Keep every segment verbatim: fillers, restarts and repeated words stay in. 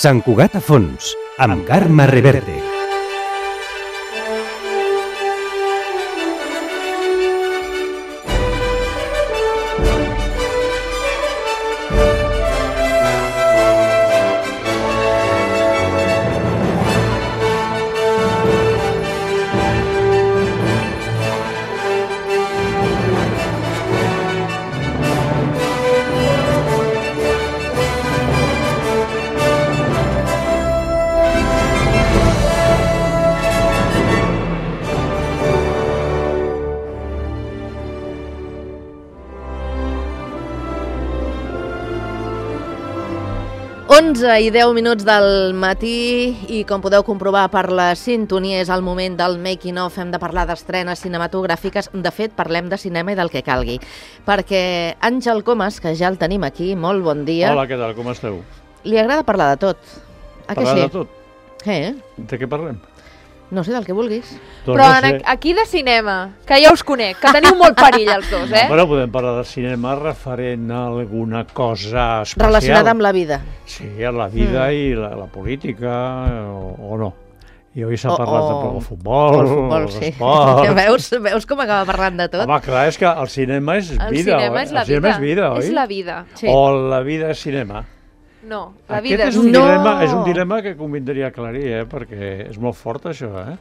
Sant Cugat a fons, amb Carme Reverte. onze i deu minuts del matí i, com podeu comprovar per la sintonia, és el moment del making of. Hem de parlar d'estrenes cinematogràfiques. De fet, parlem de cinema i del que calgui. Perquè Àngel Comas, que ja el tenim aquí, molt bon dia. Hola, què tal? Com esteu? Li agrada parlar de tot. A parlar que sí? de tot? Eh? De què parlem? No sé, del que vulguis. Doncs Però no en, sé. aquí de cinema, que ja us conec, que teniu molt perill els dos, eh? Bueno, podem parlar de cinema referent a alguna cosa especial. Relacionada amb la vida. Sí, a la vida Mm. i la, la política, o, o no. I avui s'ha O- parlat o- de futbol, El futbol, sí. esport. Veus, veus com acaba parlant de tot? Home, clar, és que el cinema és El vida. cinema oi? és la el cinema vida. és vida, oi? És la vida. Sí. O la vida és cinema. No, la Aquest vida és un, No! dilema, és un dilema que convindria aclarir, eh? Perquè és molt fort això, eh?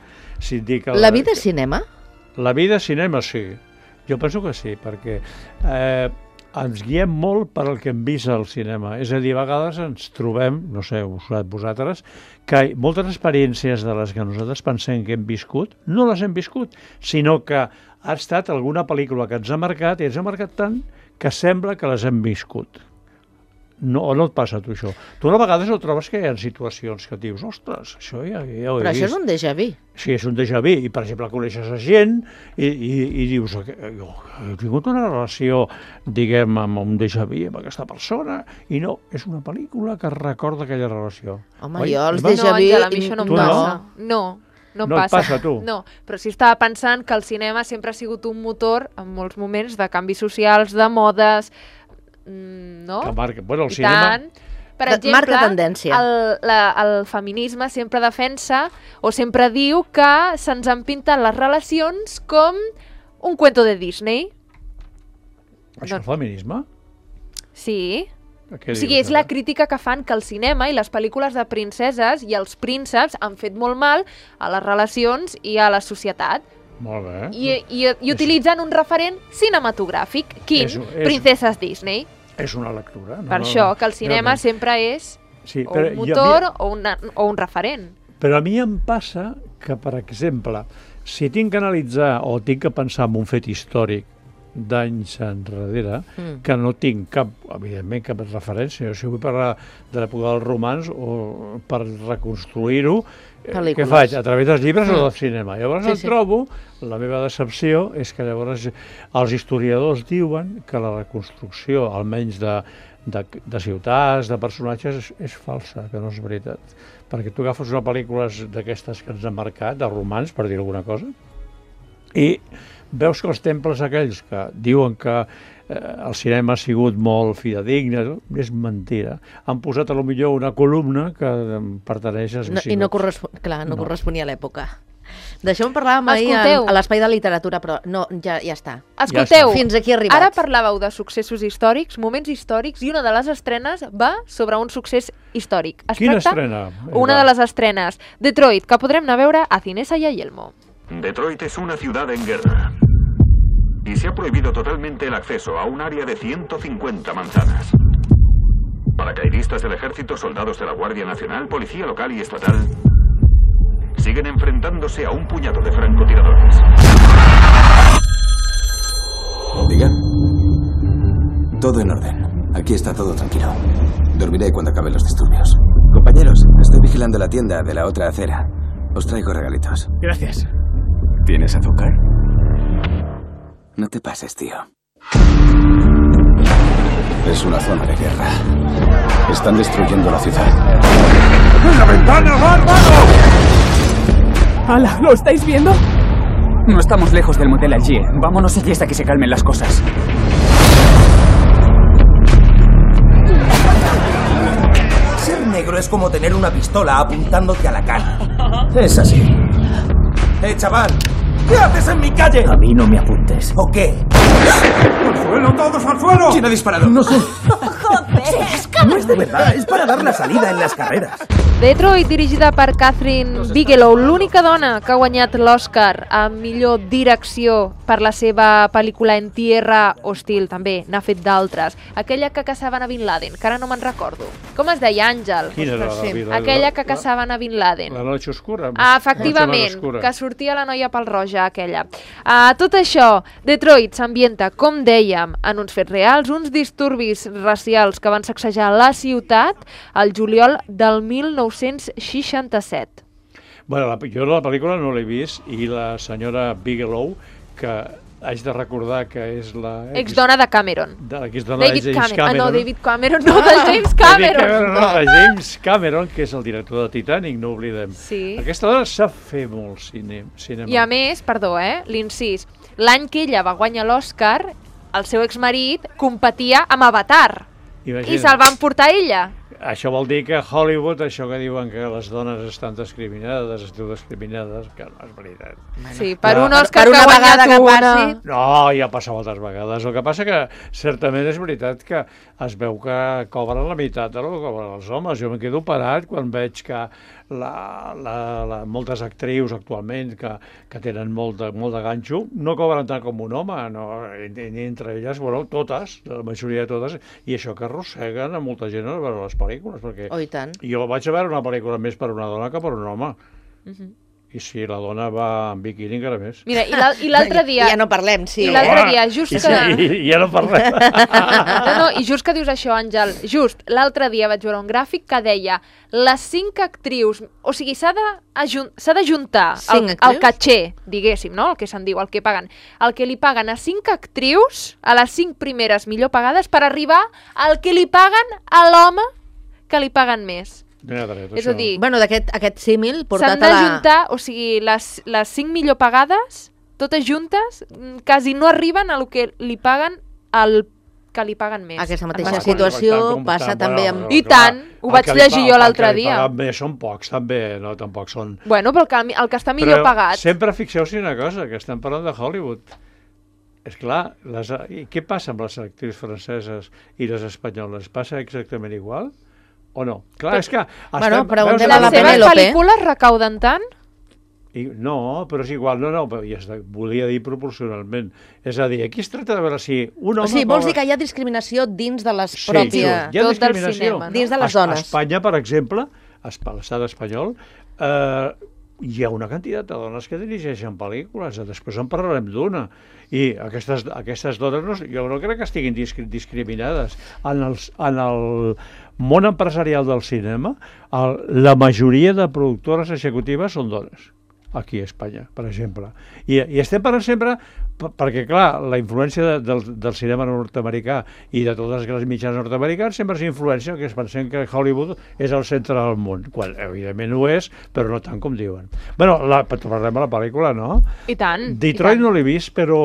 Si et dic que La vida és cinema? La vida és cinema, sí. Jo penso que sí, perquè eh, ens guiem molt per el que hem vist al cinema. És a dir, a vegades ens trobem, no sé, ho sabeu vosaltres, que moltes experiències de les que nosaltres pensem que hem viscut, no les hem viscut, sinó que ha estat alguna pel·lícula que ens ha marcat i ens ha marcat tant que sembla que les hem viscut. No, o no et passa a tu això? Tu a vegades ho trobes que hi ha situacions que dius, ostres, això ja, ja ho he Però vist. això és un déjà vu. Sí, és un déjà vu, i per exemple coneixes a gent i, i, i dius, jo he tingut una relació, diguem, amb un déjà vu amb aquesta persona, i no, és una pel·lícula que recorda aquella relació. Home, Oi? jo els Va- déjà No, vu... Àngela, a mi això no em Tu no? passa. No, no em No et passa. passa a tu? No, però sí estava pensant que el cinema sempre ha sigut un motor en molts moments de canvis socials, de modes, mm, no? Que marca, bueno, el I cinema... tant. Per De- exemple, marca tendència. El, la, el feminisme sempre defensa o sempre diu que se'ns han pintat les relacions com un cuento de Disney. Això és feminisme? Sí. Què O sigui, dius, és la ara? crítica que fan que el cinema i les pel·lícules de princeses i els prínceps han fet molt mal a les relacions i a la societat. Molt bé. I, i, i utilitzen un referent cinematogràfic. Quin? És- és- Princeses Disney. És una lectura. No, Per no, això, que el cinema realment. sempre és Sí, o però un jo- motor a mi- o, una, o un referent. Però a mi em passa que, per exemple, si tinc que analitzar o tinc que pensar en un fet històric d'anys enrere, Mm. que no tinc cap, evidentment, cap referència. O sigui, vull parlar de l'època dels romans o per reconstruir-ho, eh, Pel·lícules. què faig? A través dels llibres Mm. o del cinema. Llavors Sí, em sí. trobo, la meva decepció és que llavors els historiadors diuen que la reconstrucció, almenys de, de, de ciutats, de personatges, és, és falsa, que no és veritat. Perquè tu agafes una pel·lícula d'aquestes que ens han marcat, de romans, per dir alguna cosa, i veus que els temples aquells que diuen que eh, el cinema ha sigut molt fidedigne, és mentira. Han posat a lo millor una columna que em pertaneix als No, I visigots. no, correspon... Clar, no, No. corresponia a l'època. D'això en parlàvem ahir a, Escolteu. a l'espai de literatura, però no, ja, ja està. Escolteu, està. Fins aquí he arribat. ara parlàveu de successos històrics, moments històrics, i una de les estrenes va sobre un succés històric. Es Quina tracta estrena? una de les estrenes, Detroit, que podrem anar a veure a Cinesa y a Yelmo. Detroit es una ciudad en guerra y se ha prohibido totalmente el acceso a un área de ciento cincuenta manzanas. Paracaidistas del ejército, soldados de la Guardia Nacional, policía local y estatal siguen enfrentándose a un puñado de francotiradores. Diga. Todo en orden. Aquí está todo tranquilo. Dormiré cuando acaben los disturbios. Compañeros, estoy vigilando la tienda de la otra acera. Os traigo regalitos. Gracias. ¿Tienes azúcar? No te pases, tío. Es una zona de guerra. Están destruyendo la ciudad. ¡En la ventana, bárbaro! ¡Hala! ¿Lo estáis viendo? No estamos lejos del motel Algier. Vámonos allí hasta que se calmen las cosas. Ser negro es como tener una pistola apuntándote a la cara. Es así. ¡Eh, chaval! ¿Qué haces en mi calle? A mí no me apuntes. ¿O qué? ¡Al suelo, todos al suelo! ¿Quién ha disparado? No sé. ¡Joder! No es de verdad, es para dar la salida en las carreras. Detroit, dirigida per Catherine Bigelow, l'única dona que ha guanyat l'Oscar a millor direcció per la seva pel·lícula En Tierra Hostil, també n'ha fet d'altres. Aquella que caçaven a Bin Laden, que ara no me'n recordo. Com es deia, Àngel? Quina era la sí. Bin Laden? Aquella que La- caçaven a Bin Laden. La noche oscura. Ah, Noche efectivament, oscura. que sortia la noia pel roja, aquella. Uh, tot això, Detroit s'ambienta, com dèiem, en uns fets reals, uns disturbis racials que van sacsejar la ciutat al juliol del mil nou-cents seixanta-set. Bueno, la, jo la pel·lícula no l'he vist i la senyora Bigelow, que haig de recordar que és la... Exdona de Cameron. De l'exdona David de James Cameron. Cameron. Ah, no, David Cameron, no, de James Cameron. David no, de James Cameron, que és el director de Titanic, no oblidem. Sí. Aquesta dona sap fer molt cine, cinema. I a més, perdó, eh, l'incís, l'any que ella va guanyar l'Oscar, el seu exmarit competia amb Avatar. Imagina't. I se'l van portar a ella. Això vol dir que a Hollywood, això que diuen que les dones estan discriminades, es diu discriminades, que no és veritat. Sí, per Ja. un Òscar Per que una ha guanyat vegada que una. passi. No, ja passa moltes vegades. El que passa que certament és veritat que es veu que cobren la meitat del que cobren els homes. Jo me quedo parat quan veig que la, la, la, moltes actrius actualment que, que tenen molt de, molt de ganxo no cobren tant com un home, no? I, i entre elles, bueno, totes, la majoria de totes, i això que arrosseguen a molta gent a veure les pel·lícules, perquè Oh, i tant. jo vaig a veure una pel·lícula més per una dona que per un home. Mhm. I si la dona va en biquini encara més. Mira, i l'al- i l'altre dia... Ja no parlem, sí. I l'altre Home, dia, just i, que... i, i ja no parlem. No, no, i just que dius això, Àngel, just l'altre dia vaig veure un gràfic que deia les cinc actrius, o sigui, s'ha de ajun- s'ha d'ajuntar el, Cinc el actrius? catxer, diguéssim, no? El que se'n diu, el que paguen. El que li paguen a cinc actrius, a les cinc primeres millor pagades, per arribar al que li paguen a l'home que li paguen més. Mira, dret, És a això. dir, Bueno, d'aquest aquest símil portat s'han a la... d'ajuntar, o sigui, les, les cinc millor pagades, totes juntes, mm, quasi no arriben a lo que li paguen al que li paguen més. Aquesta en mateixa les situació Tant com- passa tant, també bueno, amb... I clar, tant, ho el vaig que li llegir pa- jo el l'altre que li dia. paguen Bé, són pocs, també, no, tampoc són... Bueno, però el que, el que està millor Però pagat... sempre fixeu-vos una cosa, que estem parlant de Hollywood. És clar, les, i què passa amb les actrius franceses i les espanyoles? Passa exactament igual? O no? Clar, és que... Bueno, estem- preguntem veus a el- la Les seves Penélope. pel·lícules recauden tant? I, no, però és igual, no, no, però ja està, volia dir proporcionalment. És a dir, aquí es tracta de veure si un home... O sigui, vols cobra- dir que hi ha discriminació dins de les Sí, pròpies... hi ha tot del discriminació. cinema, no? Dins de les A- dones. A Espanya, per exemple, a Esp- a l'estat espanyol, eh, hi ha una quantitat de dones que dirigeixen pel·lícules, després en parlarem d'una, i aquestes, aquestes dones no, jo no crec que estiguin discri discriminades. En, els, en el món empresarial del cinema, el, la majoria de productores executives són dones, aquí a Espanya, per exemple. I, i estem parlant sempre, per- perquè clar, la influència de, del, del cinema nord-americà i de totes les grans mitjans nord-americans sempre és influència que es pensem que Hollywood és el centre del món, quan evidentment ho és, però no tant com diuen. Bueno, la, parlem de la pel·lícula, no? I tant. Detroit i tant. no l'he vist, però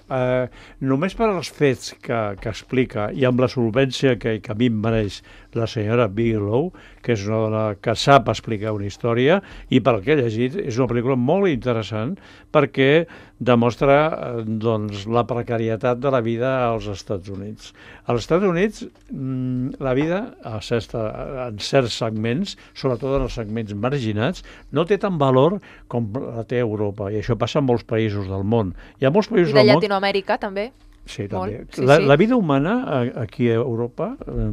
eh, només per als fets que, que explica i amb la solvència que, que a mi em mereix la senyora Bigelow, que és una dona que sap explicar una història, i pel que he llegit és una pel·lícula molt interessant perquè demostra eh, doncs, la precarietat de la vida als Estats Units. Als Estats Units mmm, la vida a certs, en certs segments, sobretot en els segments marginats, no té tant valor com la té a Europa, i això passa en molts països del món. Hi ha molts països I de del món... Llatinoamèrica, també. Sí, també. Molt, sí, la, sí. la vida humana a, aquí a Europa eh,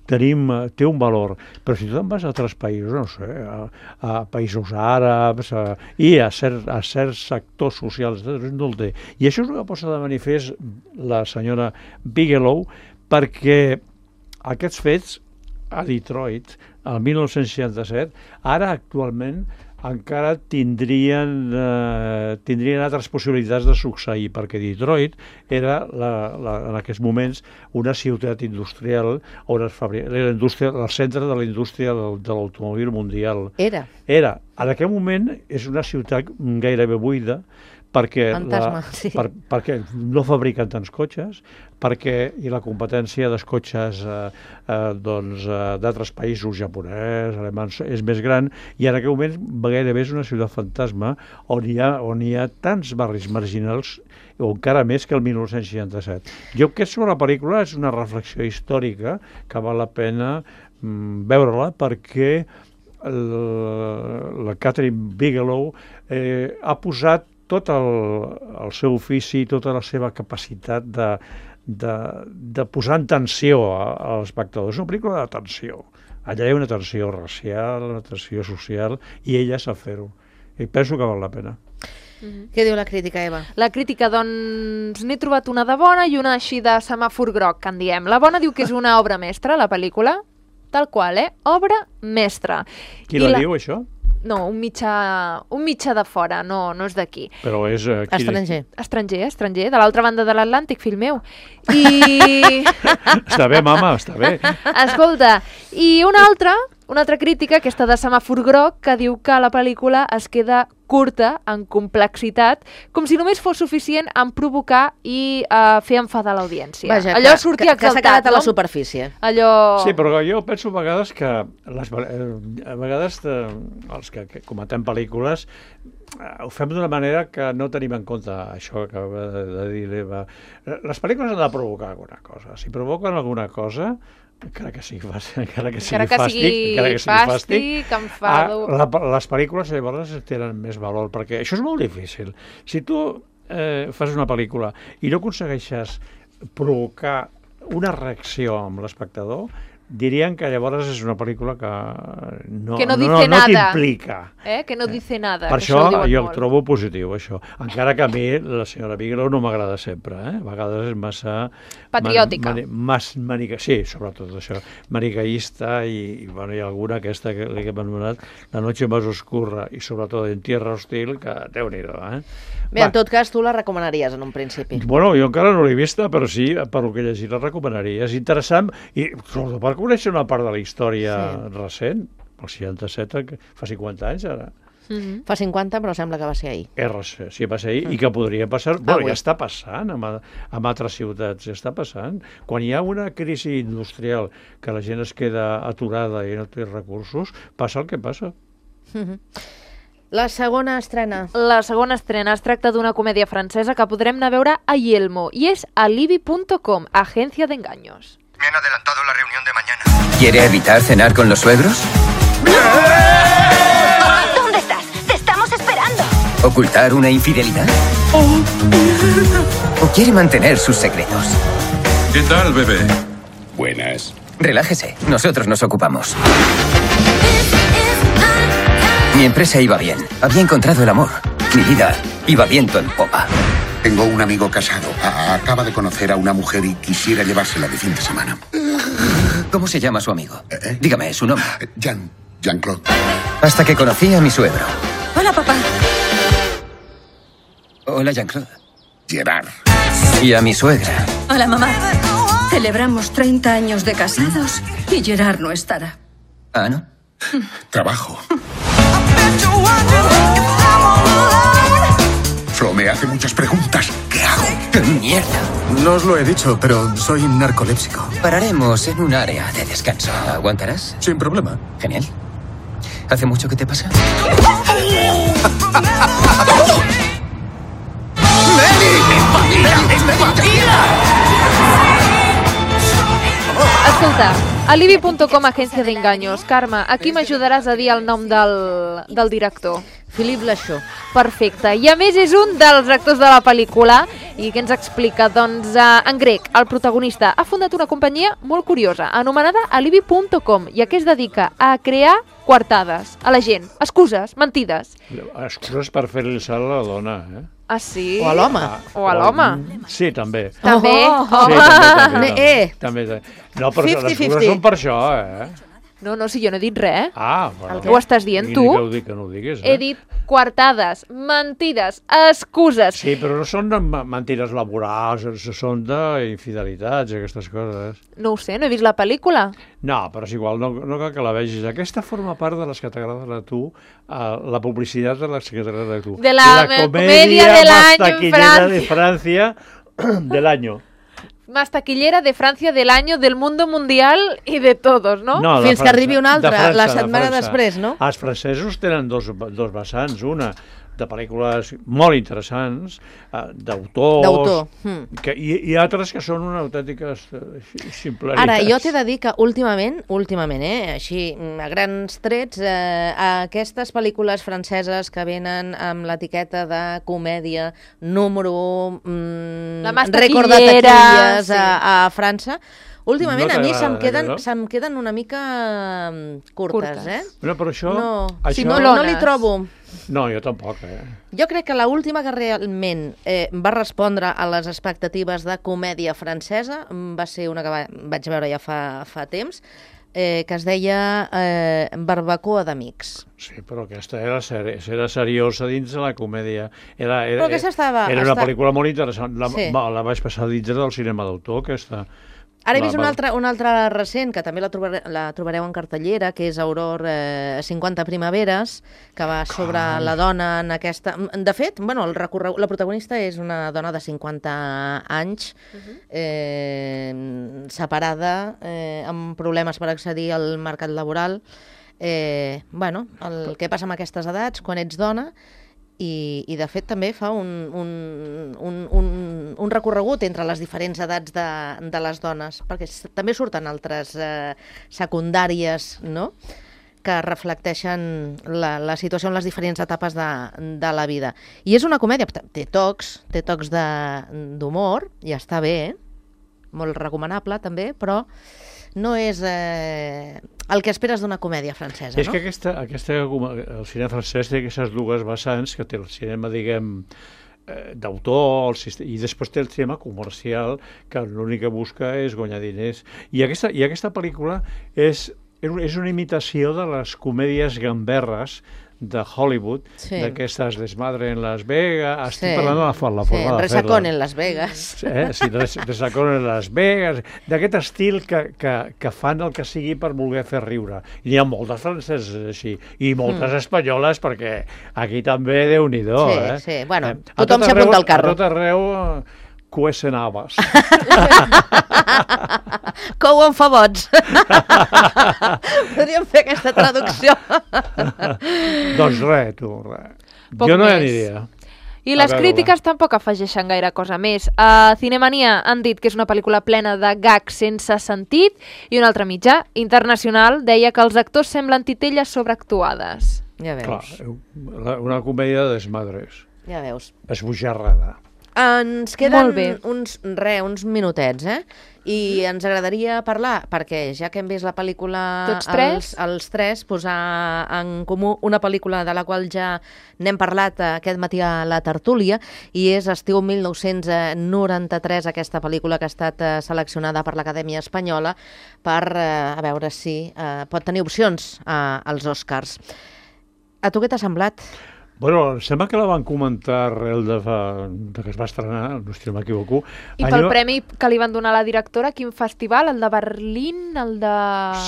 tenim, eh, té un valor, però si tu te'n vas a altres països, no sé, a, a països àrabs a, i a, cert, a certs sectors socials, no el té. I això és el que posa de manifest la senyora Bigelow, perquè aquests fets a Detroit, el mil nou-cents seixanta-set, ara actualment encara tindrien, eh, tindrien altres possibilitats de succeir, perquè Detroit era la, la, en aquests moments una ciutat industrial on es fabrica, era indústria, el centre de la indústria del, de l'automòbil mundial. Era. Era. En aquell moment és una ciutat gairebé buida perquè, Fantasma, la, sí. per, perquè no fabriquen tants cotxes, perquè i la competència dels cotxes eh, eh, doncs, eh, d'altres països, japonès, alemans, és més gran, i en aquell moment gairebé és una ciutat fantasma on hi ha, on hi ha tants barris marginals, o encara més que el dinou seixanta-set. Jo crec que sobre la pel·lícula és una reflexió històrica que val la pena mm, veure-la, perquè el, la Catherine Bigelow eh, ha posat tot el, el seu ofici, tota la seva capacitat de, de, de posar en tensió a, a l'espectador. És una pel·lícula de tensió. Allà hi ha una tensió racial, una tensió social, i ella sap fer-ho. I penso que val la pena. Mm-hmm. Què diu la crítica, Eva? La crítica, doncs, n'he trobat una de bona i una així de semàfor groc, que en diem. La bona diu que és una obra mestra, la pel·lícula, tal qual, eh? Obra mestra. Qui la, la diu, això? No, un mitjà, un mitjà de fora, no, no és d'aquí. Però és... Uh, estranger. Estranger, estranger, de l'altra banda de l'Atlàntic, fill meu. I... Està bé, mama, està bé. Escolta, i una altra, una altra crítica, aquesta de semàfor groc, que diu que la pel·lícula es queda curta en complexitat, com si només fos suficient en provocar i uh, fer enfadar l'audiència. Vaja, allò que, sortia que, que exaltat, s'ha quedat a la no? superfície. Allò... Sí, però jo penso a vegades que les, a vegades eh, els que, que comentem pel·lícules eh, ho fem d'una manera que no tenim en compte això que acaba de, de dir l'Eva. Les pel·lícules han de provocar alguna cosa. Si provoquen alguna cosa, encara que sigui fàstic, encara que sigui, que fàstic, sigui encara que sigui fàstic, fàstic, enfado... ah, la, les pel·lícules llavors tenen més valor, perquè això és molt difícil. Si tu eh, fas una pel·lícula i no aconsegueixes provocar una reacció amb l'espectador, dirien que llavors és una pel·lícula que no, que no, no, no, no t'implica. Eh? Que no dice nada. Per que això, això jo molt. trobo positiu, això. Encara que a mi la senyora Bigelow no m'agrada sempre, eh? A vegades és massa... Patriòtica. Man, man, mas, manica, sí, sobretot això. Manicaïsta i, i, bueno, hi ha alguna aquesta que l'he anomenat La noche más oscura i sobretot En tierra hostil, que déu-n'hi-do, eh? Bé, Va. En tot cas, tu la recomanaries en un principi. Bueno, jo encara no l'he vista, però sí, per el que he llegit la recomanaria. És interessant i sobretot per conèixer una part de la història sí. recent, el seixanta-set, fa cinquanta anys ara. Mm-hmm. Fa cinquanta, però sembla que va ser ahir. R C, sí, va ser ahir, mm. i que podria passar... Bueno, ah, ja està passant amb, amb altres ciutats, ja està passant. Quan hi ha una crisi industrial que la gent es queda aturada i no té recursos, passa el que passa. Mm-hmm. La segona estrena. La segona estrena es tracta d'una comèdia francesa que podrem anar a veure a Yelmo, i és alibi punto com, agència d'engaños. Me han adelantado la reunión de mañana. ¿Quiere evitar cenar con los suegros? ¿Dónde estás? ¡Te estamos esperando! ¿Ocultar una infidelidad? ¿O quiere mantener sus secretos? ¿Qué tal, bebé? Buenas. Relájese, nosotros nos ocupamos. Mi empresa iba bien, había encontrado el amor. Mi vida iba viento en popa. Tengo un amigo casado. A- acaba de conocer a una mujer y quisiera llevársela de fin de semana. ¿Cómo se llama su amigo? ¿Eh? Dígame, su nombre. Jean, Jean-Claude. Hasta que conocí a mi suegro. Hola, papá. Hola, Jean-Claude. Gerard. Y a mi suegra. Hola, mamá. Celebramos treinta años de casados y Gerard no estará. Ah, ¿no? Trabajo. Flo me hace muchas preguntas. ¿Qué hago? ¡Qué mierda! No os lo he dicho, pero soy narcolépsico. Pararemos en un área de descanso. ¿Aguantarás? Sin problema. Genial. ¿Hace mucho que te pasa? Escolta, alibi punto com, agència d'engaños. Carme, aquí m'ajudaràs a dir el nom del, del director. Philippe Lachaud. Perfecte. I a més és un dels actors de la pel·lícula i què ens explica? Doncs uh, en grec, el protagonista ha fundat una companyia molt curiosa anomenada alibi punto com i a què es dedica? A crear coartades a la gent, excuses, mentides. Excuses per fer-li el salt a la dona, eh? Ah, sí? O a l'home. O a l'home. Sí, també. També. Oh, Sí, també, també, també, Eh. també, també. No, però fifty les excuses fifty. són per això, eh? No, no, si jo no he dit res. Ah, bueno. Ho estàs dient tu? Que ho dic, que no ho diguis, eh? He dit coartades, mentides, excuses. Sí, però no són mentides laborals, són d'infidelitats, aquestes coses. No ho sé, no he vist la pel·lícula. No, però és igual, no, no cal que la vegis. Aquesta forma part de les que t'agraden a tu, uh, la publicitat de les que t'agraden a tu. De la, la comèdia de l'any en Francia. de Francia del año. Más taquillera de Francia del año, del mundo mundial i de todos, no? No, fins França, que arribi una altra, de França, la setmana de després, no? Els francesos tenen dos, dos vessants, una de pel·lícules molt interessants, uh, d'autors, D'autor. Hmm. que, i, i altres que són una autèntiques uh, simplaritats. Ara, jo t'he de dir que últimament, últimament, eh, així, a grans trets, eh, aquestes pel·lícules franceses que venen amb l'etiqueta de comèdia número mm, La más rècord de taquillera, taquilles sí. a, a França, últimament No a mi se'm t'agrada, queden, no? se'm queden una mica mm, curtes, Curtes. eh? Bueno, però això... No, això... sí, no, no li trobo. No, jo tampoc, eh? Jo crec que l'última que realment eh, va respondre a les expectatives de comèdia francesa va ser una que va, vaig veure ja fa, fa temps, eh, que es deia eh, Barbacoa d'amics. Sí, però aquesta era, seri era seriosa dins de la comèdia. Era, era, Però aquesta estava... Era una està... pel·lícula molt interessant. La, Sí. va, la vaig passar dins del cinema d'autor, aquesta. Ara he La- vist una altra, una altra recent, que també la, trobare, la trobareu en cartellera, que és Auror eh, cinquanta primaveres, que va sobre Carai. la dona en aquesta... De fet, bueno, el recorregut, la protagonista és una dona de cinquanta anys, eh, separada, eh, amb problemes per accedir al mercat laboral. Eh, bueno, el que passa amb aquestes edats, quan ets dona, i, i de fet també fa un, un, un, un, un recorregut entre les diferents edats de, de les dones, perquè s- també surten altres eh, secundàries, no?, que reflecteixen la, la situació en les diferents etapes de, de la vida. I és una comèdia, té tocs, té tocs de- d'humor, i està bé, eh? Molt recomanable també, però no és eh, el que esperes d'una comèdia francesa, És no? que aquesta, aquesta, el cinema francès té aquestes dues vessants, que té el cinema, diguem, eh, d'autor, el sist- i després té el cinema comercial, que l'únic que busca és guanyar diners. I aquesta, i aquesta pel·lícula és, és una imitació de les comèdies gamberres de Hollywood, Sí. d'aquestes Desmadre en Las Vegas. Estic Sí. parlant de la, for- la Sí, forma de fer-la. Resacón en Las Vegas. Eh? Sí, de, de Sacón en Las Vegas, d'aquest estil que, que, que fan el que sigui per voler fer riure. I n'hi ha moltes franceses així, i moltes Mm. espanyoles, perquè aquí també, Déu-n'hi-do, Sí, eh? sí, bueno, Eh, a tothom tot s'hi apunta arreu- al carro. A tot arreu, eh, cuecen habas. Couen fabots. Podríem fer aquesta traducció. Doncs res, tu, res. Poc jo no hi més. aniria. I A les veure-la. crítiques tampoc afegeixen gaire cosa més. A Cinemania han dit que és una pel·lícula plena de gags sense sentit i un altre mitjà internacional deia que els actors semblen titelles sobreactuades. Ja Clar, veus. la- una comèdia de desmadres. Ja veus. Esbojarrada. Ens queden Molt bé. uns, re, uns minutets, eh? I ens agradaria parlar, perquè ja que hem vist la pel·lícula Tots tres? Els, els tres, posar en comú una pel·lícula de la qual ja n'hem parlat aquest matí a la tertúlia, i és Estiu mil nou-cents noranta-tres, aquesta pel·lícula que ha estat eh, seleccionada per l'Acadèmia Espanyola per, eh, a veure si eh, pot tenir opcions eh, als Oscars. A tu què t'ha semblat? Bueno, em sembla que la van comentar arrel de, fa, de que es va estrenar, no si no m'equivoco. I pel premi que li van donar a la directora, quin festival? El de Berlín? El de...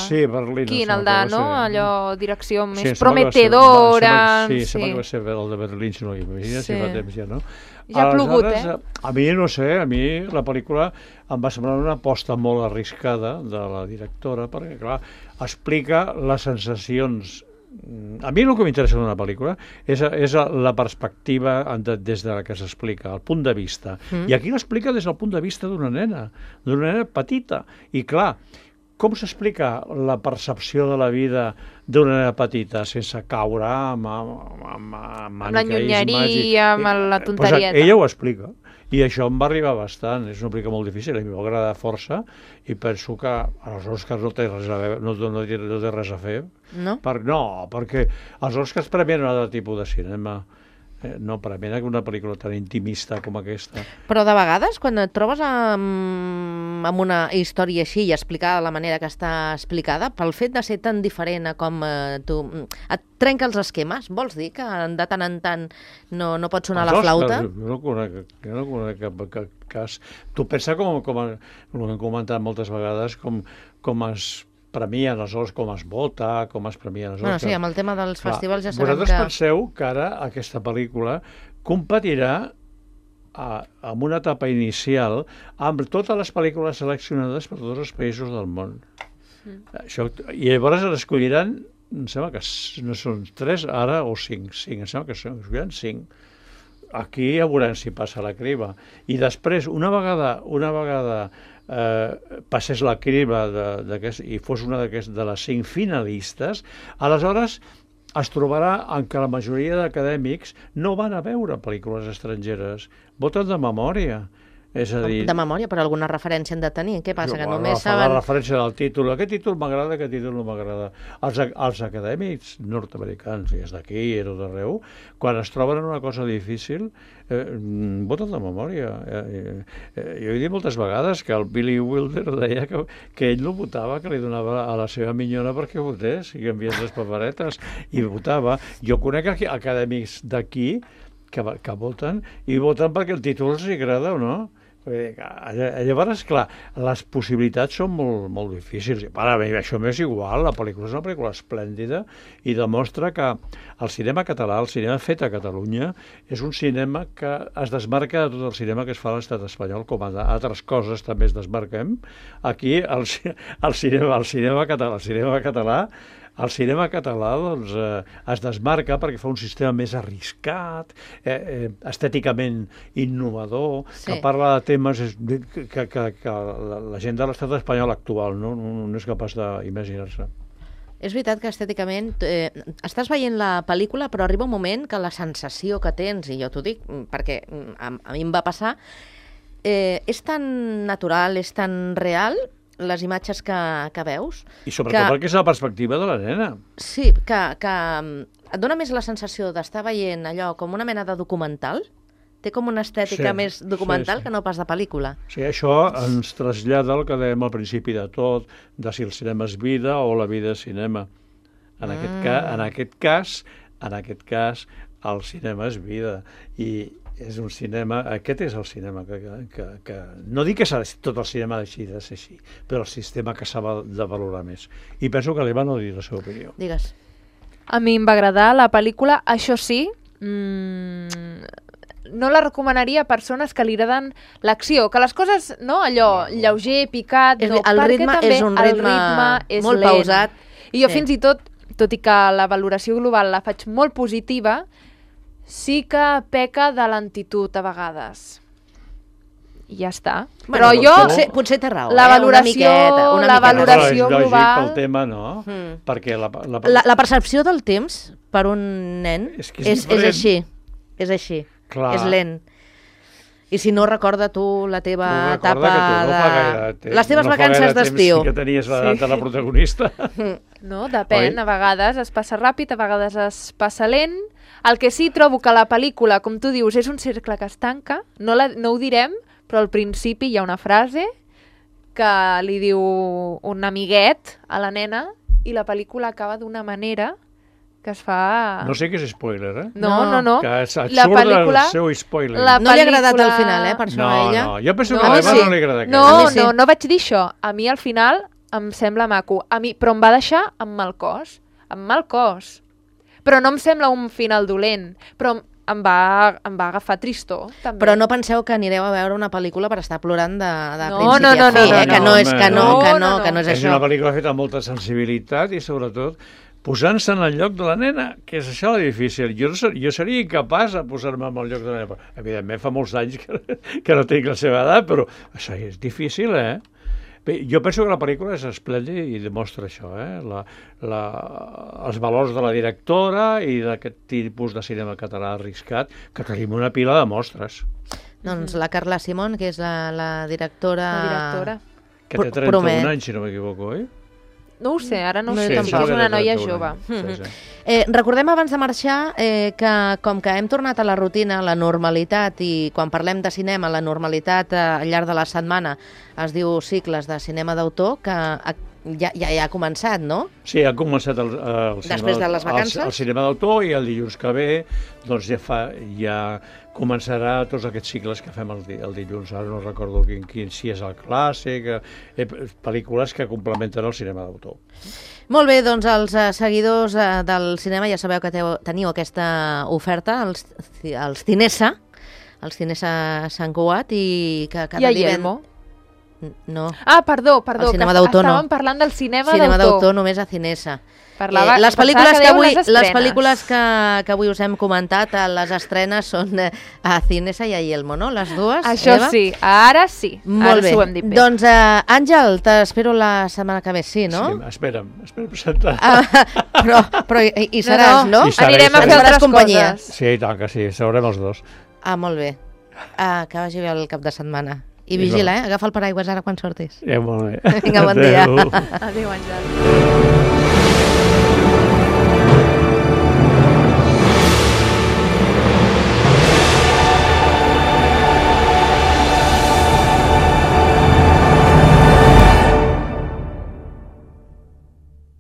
Sí, Berlín. Quin? em El de, sembla que va no? ser. Allò, direcció Sí, més em sembla que va ser- prometedora... va- Sí, em sí. sembla que va ser el de Berlín, si no hi imagina, si Sí. fa temps ja, no? Ja ha plogut, Aleshores, eh? A mi, no sé, a mi la pel·lícula em va semblar una aposta molt arriscada de la directora, perquè, clar, explica les sensacions. A mi el que m'interessa d'una pel·lícula és, és la perspectiva de, des de la que s'explica, el punt de vista. Mm. I aquí l'explica des del punt de vista d'una nena, d'una nena petita. I clar, com s'explica la percepció de la vida d'una nena petita sense caure amb, amb, amb, amb, Amb la nyonyeria, amb la Pues tonterieta. ella ho explica. I això em va arribar bastant. És una pel·lícula molt difícil, a mi m'agrada força, i penso que als Oscars no té res a, veure, no, no, té, no té res a fer. No? Per, no, perquè els Oscars premien un altre tipus de cinema. Eh, no, per a mi una pel·lícula tan intimista com aquesta. Però de vegades, quan et trobes amb, amb una història així i explicada de la manera que està explicada, pel fet de ser tan diferent a com eh, tu... et trenca els esquemes? Vols dir que de tant en tant no, no pot sonar la flauta? Jo no conec, jo no conec cap, cap cas. Tu pensa com, com, com hem comentat moltes vegades, com, com es premien els Oscars, com es vota, com es premien els Oscars. Bueno, sí, amb el tema dels Clar, festivals ja sabem vosaltres que... penseu que ara aquesta pel·lícula competirà a, amb una etapa inicial amb totes les pel·lícules seleccionades per tots els països del món. Mm. Això, i llavors escolliran, em sembla que no són tres ara o cinc, cinc, em sembla que són, escolliran cinc. Aquí ja veurem si passa la criba. I després, una vegada, una vegada eh, passés la criba de, de, i fos una de les cinc finalistes, aleshores es trobarà en què la majoria d'acadèmics no van a veure pel·lícules estrangeres, voten de memòria. És a dir... De memòria, però alguna referència han de tenir. Què passa? Jo, que bueno, només fa saben... la referència del títol. Aquest títol m'agrada, aquest títol no m'agrada. Els, els acadèmics nord-americans, i és d'aquí, i és d'arreu, quan es troben en una cosa difícil, eh, voten de memòria. Eh, eh, jo he dit moltes vegades que el Billy Wilder deia que, que ell no votava, que li donava a la seva minyona perquè votés, i que enviés les paperetes, i votava. Jo conec acadèmics d'aquí que, que voten, i voten perquè el títol els agrada o no. Llavors, clar, les possibilitats són molt, molt difícils. Ara bé, això m'és igual, la pel·lícula és una pel·lícula esplèndida i demostra que el cinema català, el cinema fet a Catalunya, és un cinema que es desmarca de tot el cinema que es fa a l'estat espanyol, com a altres coses també es desmarquem. Aquí el, el, cinema, el cinema català, el cinema català El cinema català doncs, eh, es desmarca perquè fa un sistema més arriscat, eh, eh, estèticament innovador, sí. que parla de temes que, que, que la, la gent de l'estat espanyol actual no, no, no és capaç d'imaginar-se. És veritat que estèticament eh, estàs veient la pel·lícula, però arriba un moment que la sensació que tens, i jo t'ho dic perquè a, a mi em va passar, eh, és tan natural, és tan real, les imatges que, que veus... I sobretot que, perquè és la perspectiva de la nena. Sí, que, que et dona més la sensació d'estar veient allò com una mena de documental. Té com una estètica sí, més documental sí, sí. que no pas de pel·lícula. Sí, això ens trasllada el que dèiem al principi de tot, de si el cinema és vida o la vida és cinema. En, mm. aquest, ca, en aquest cas, en aquest cas, el cinema és vida. I és un cinema, aquest és el cinema que, que, que no dic que tot el cinema deixi de ser així, però el sistema que s'ha de valorar més. I penso que l'Eva no dir la seva opinió. Digues. A mi em va agradar la pel·lícula, això sí, mmm, no la recomanaria a persones que li agraden l'acció, que les coses, no, allò, no. lleuger, picat, és, no, el perquè ritme també és un ritme, el ritme és molt lent. pausat. I jo sí. fins i tot, tot i que la valoració global la faig molt positiva, sí que peca de lentitud a vegades. I ja està. Bueno, però jo... Potser, potser té raó, la eh? valoració, una miqueta. Una la miqueta. valoració però és global... lògic pel tema, no? Mm. Perquè la, la... La, la percepció del temps per un nen és, que és, és, és així. És així. Clar. És lent. I si no recorda tu la teva no etapa no de... Gaire, les teves no vacances d'estiu. Que tenies l'edat sí. de la protagonista. No, depèn. Oi? A vegades es passa ràpid, a vegades es passa lent. El que sí trobo que la pel·lícula, com tu dius, és un cercle que es tanca, no, la, no ho direm, però al principi hi ha una frase que li diu un amiguet a la nena i la pel·lícula acaba d'una manera que es fa... No sé què és spoiler, eh? No, no, no. Que et surt pel·lícula, el seu spoiler. La no li ha agradat al final, eh, per això no, a ella. No, jo penso no, que a l'Eva sí. no li agrada No, sí. no, no vaig dir això. A mi al final em sembla maco. A mi, però em va deixar amb mal cos. Amb mal cos. Però no em sembla un final dolent. Però em va, em va agafar tristor, també. Però no penseu que anireu a veure una pel·lícula per estar plorant de, de no, principi no, no, a fi, no, eh? no, que no, no, és, que no, no, que no, no, no. que no és, és això. És una pel·lícula feta amb molta sensibilitat i sobretot posant-se en el lloc de la nena, que és això la difícil. Jo, jo seria incapaç de posar-me en el lloc de la nena. Evidentment fa molts anys que, que no tinc la seva edat, però això és difícil, eh? Bé, jo penso que la pel·lícula és esplèndida i demostra això, eh? la, la, els valors de la directora i d'aquest tipus de cinema català arriscat, que tenim una pila de mostres. Doncs la Carla Simón, que és la, la directora... La directora. Que té trenta-un anys, si no m'equivoco, oi? No ho sé, ara no ho No, sé, jo sí, tampoc. és una noia Sí, jove. sí, sí. Eh, recordem abans de marxar eh, que com que hem tornat a la rutina, a la normalitat, i quan parlem de cinema, la normalitat eh, al llarg de la setmana es diu cicles de cinema d'autor, que ha, ja, ja, ja ha començat, no? Sí, ha començat el, el cinema, Després de les vacances? El, el cinema d'autor, i el dilluns que ve doncs ja, fa, ja començarà tots aquests cicles que fem el, di, el dilluns. Ara no recordo quin, quin si és el clàssic, eh, pel·lícules que complementen el cinema d'autor. Molt bé, doncs els eh, seguidors eh, del cinema ja sabeu que teu, teniu aquesta oferta, els, els Cinesa, els Cinesa Sant Cugat, i que cada I a divendres... Yelmo. No. Ah, perdó, perdó, El cinema que d'autor no. estàvem parlant del cinema, Cinema d'autor d'autor. només a Cinesa. Parlava, eh, les pensava pel·lícules que que, dèieu avui, les les estrenes. pel·lícules que, que avui us hem comentat, eh, les estrenes són eh, a Cinesa i a Yelmo, no? Les dues, Això Eva? sí, ara sí. Molt ara bé. s'ho hem dit bé. Doncs, eh, Àngel, t'espero la setmana que ve, sí, no? Sí, espera'm, espera presentar. Ah, però, però hi, hi seràs, no? no? Hi seré, Anirem hi a seré. fer Ens faràs altres companyia. coses. Sí, i tant que sí, seurem els dos. Ah, molt bé. Ah, que vagi bé el cap de setmana. I I vigila, bon. eh? Agafa el paraigües ara quan sortis. Ja, molt bé. Vinga, bon dia. Adéu. Adéu, Àngel.